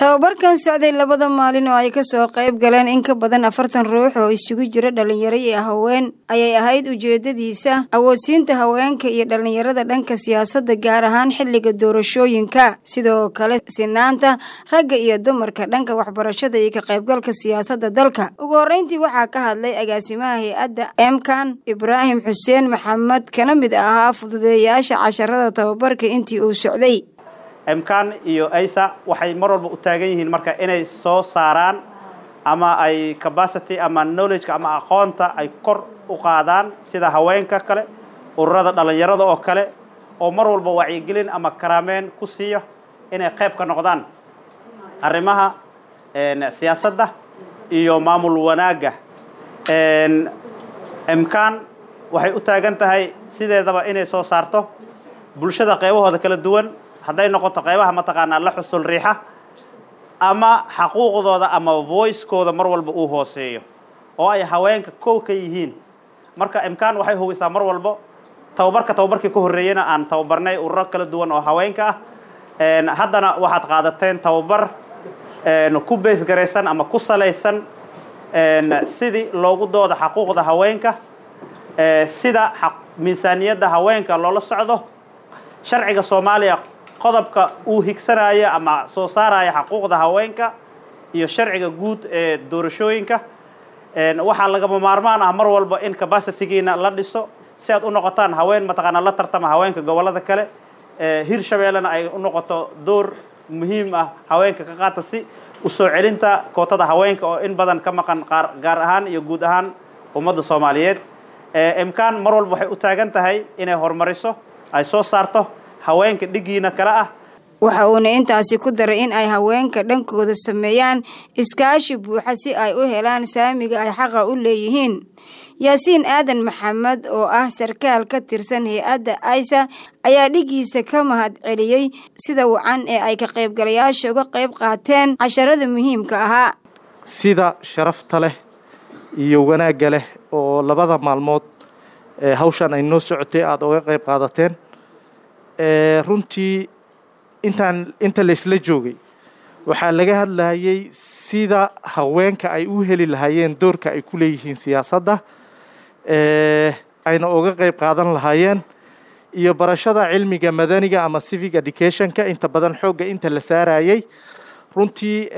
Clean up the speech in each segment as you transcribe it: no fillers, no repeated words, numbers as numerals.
Tababarkan socday labada maalin oo ay kasoo qayb galeen in ka badan 40 ruux oo isugu jira dhalinyaro iyo haween ayay ahayd ujeedadiisa awoodsiinta haweenka iyo dhalinyarada dhanka siyaasadda, gaar ahaan xilliga doorashooyinka, sidoo kale sinaanta ragga iyo dumarka dhanka waxbarashada iyo ka qaybgalka siyaasadda dalka. Ugu horreyntii waxaa ka hadlay agaasimaha hay-adda Emkan, Ibraahim Xuseen Maxamed, kana mid ahaa fududeeyaasha casharada tababarka intii uu socday. Emkan iyo AISA waxay mar walba u taagan yihiin marka inay soo saaraan ama ay capacity ama knowledge ama aqoonta ay kor u qaadaan, sida haweenka kale, ururada dhalinyarada oo kale, oo mar walba wacyigelin ama karaameen ku siiya inay qayb ka noqdaan arrimaha siyaasadda iyo maamul wanaagga. Emkan waxay u taagan tahay sideedaba inay soo saarto bulshada qaybahooda kala duwan, hadday noqoto qaybaha mataqaanaa la xusul riixa ama xaquuqdooda ama voicekooda mar walba uu hooseeyo, oo ay haweenka kow ka yihiin. Marka Emkan waxay hubisaa mar walbo tababarka, tababarkii ka horreeyena aan tababarnay ururo kala duwan oo haweenka ah. Haddana waxaad qaadateen tababar ku base garaysan ama ku salaysan sidii loogu dooda xaquuqda haweenka, sida miisaaniyadda haweenka loola socdo, sharciga Soomaaliya qodobka uu higsanaya ama soo saaraya xaquuqda haweenka, iyo sharciga guud ee doorashooyinka. Waxaa lagama maarmaan ah mar walba in capacitygiina la dhiso si aad u noqotaan haween mataqaanaa la tartama haweenka gobollada kale, Hirshabeellena ay u noqoto door muhiim ah haweenka ka qaata si u soo celinta kootada haweenka oo in badan ka maqan qaar gaar ahaan iyo guud ahaan ummadda Soomaaliyeed. Emkan mar walba waxay u taagan tahay inay horumariso, ay soo saarto haweenka dhigiina kale ah. Waxa uuna intaasi ku daray in ay haweenka dhankooda sameeyaan iskaashi buuxa si ay u helaan saamiga ay xaqa u leeyihiin. Yaasiin Aadan Maxamed oo ah sarkaal ka tirsan hay-adda AISA ayaa dhigiisa ka mahad celiyey sida wacan ee ay ka qaybgalayaasha uga qayb qaateen casharada muhiimka ahaa. Sida sharafta leh iyo wanaagga leh oo labada maalmood hawshan ay noo socotay aada uga qayb qaadateen, runtii intaan inta laysla joogay waxaa laga hadlayay sida haweenka ay u heli lahaayeen doorka ay ku leeyihiin siyaasadda, ayna uga qayb qaadan lahaayeen, iyo barashada cilmiga madaniga ama civic educationka inta badan xoogga inta la saarayay. Runtii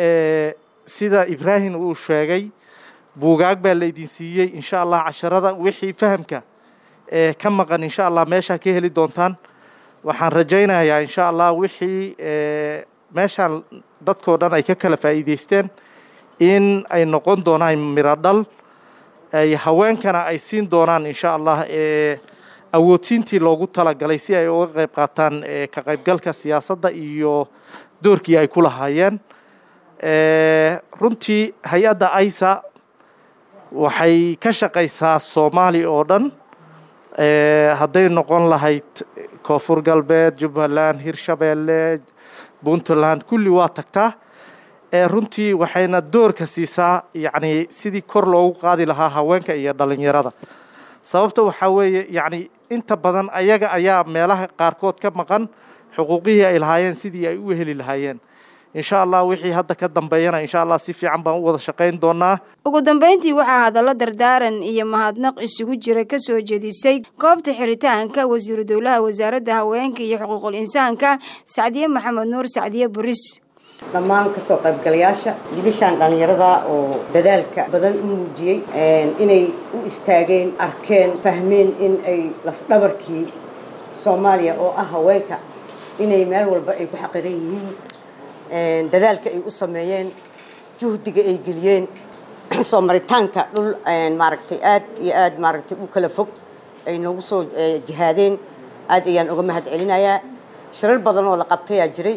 sida Ibraahim uu sheegay, buugaag baa laydin siiyey. Insha Allah casharada wixii fahamka ka maqan insha Allah meeshaa ka heli doontaan. Waxaan rajaynayaa insha Allah wixii meeshaan dadkoo dhan ay ka kala faa'iidaysteen in ay noqon doonaan miro dhal, ay haweenkana ay siin doonaan insha Allah awoodsiintii loogu talagalay si ay uga qayb qaataan ka qaybgalka siyaasadda iyo doorkii ay ku lahaayeen. Runtii hay-adda AISA waxay ka shaqaysaa Soomaali oo dhan, hadday noqon lahayd Koonfur Galbeed, Jubbaland, Hirshabeelle, Puntland, kulli waa tagtaa. Runtii waxayna doorka siisaa yacni sidii kor loogu qaadi lahaa haweenka iyo dhalinyarada. Sababta waxaa weeye yacni inta badan ayaga ayaa meelaha qaarkood ka maqan xuquuqihii ay lahaayeen sidii ay u heli lahaayeen. Insha Allah wixii hadda ka dambeeyana insha Allah si fiican baan u wada shaqayn doonaa. Ugu dambeyntii waxaa hadallo dardaaran iyo mahadnaq isugu jira kasoo jeedisay goobta xiritaanka wasiiru dowlaha wasaaradda haweenka iyo xuquuqul insaanka, Sacdiye Maxamed Nuur, Sacdiye Buris. Dhammaan kasoo qaybgalayaasha, wiilashaan dhallinyarada oo dadaalka badan u muujiyey inay u istaageen, arkeen, fahmeen in ay lafdhabarkii Soomaaliya oo ah haweenka inay meel walba ay ku xaqiran yihiin, dadaalka ay u sameeyeen, juhdiga ay geliyeen, soo maritaanka dhul maaragtay aad iyo aad maaragtay u kala fog ay noogu soo jihaadeen, aad ayaan uga mahad celinayaa. Shirar badan oo la qabtayaa jiray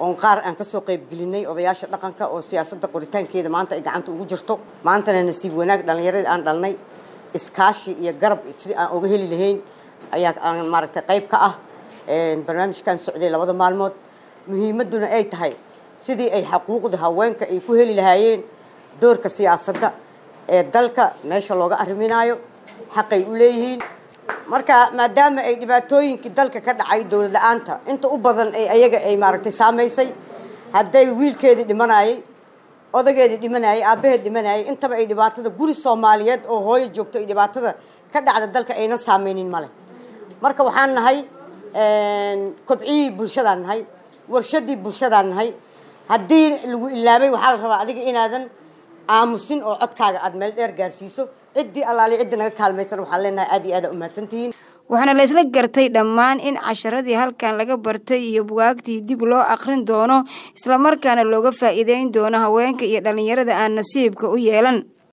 oon qaar aan kasoo qaybgelinay odayaasha dhaqanka oo siyaasadda qoritaankeeda maanta ay gacanta ugu jirto. Maantana nasiib wanaag dhallinyaradii aan dhalnay iskaashi iyo garab sidii aan uga heli lahayn ayaa aan maaragtay qayb ka ah barnaamijkan socday labada maalmood, muhiimadduna ay tahay sidii ay xaquuqda haweenka ay ku heli lahaayeen doorka siyaasadda ee dalka meesha looga arriminaayo xaqay u leeyihiin. Marka maadaama ay dhibaatooyinkii dalka ka dhacay, dowlad la-aanta inta u badan ay ayaga ay maaragtay saamaysay, Hadday wiilkeedii dhimanayay, odageedii dhimanayay, aabbaheed dhimanayay, intaba ay dhibaatada guri Soomaaliyeed oo hooyo joogto ay dhibaatada ka dhacda dalka aynan saameynin male. Marka waxaan nahay kobciyihii bulshadaan nahay, warshadii bulshadaan nahay. Haddii lagu ilaabay, waxaa la rabaa adiga inaadan aamusin oo codkaaga aada meel dheer gaarsiiso. Ciddii allaali ciddii naga kaalmaysan waxaan leenahay aad iyo aad aa umahadsantihiin. Waxaana la isla gartay dhammaan in casharadii halkan laga bartay iyo bugaagtii dib loo akhrin doono, islamarkaana looga faa'iideyn doono haweenka iyo dhallinyarada aan nasiibka u yeelan.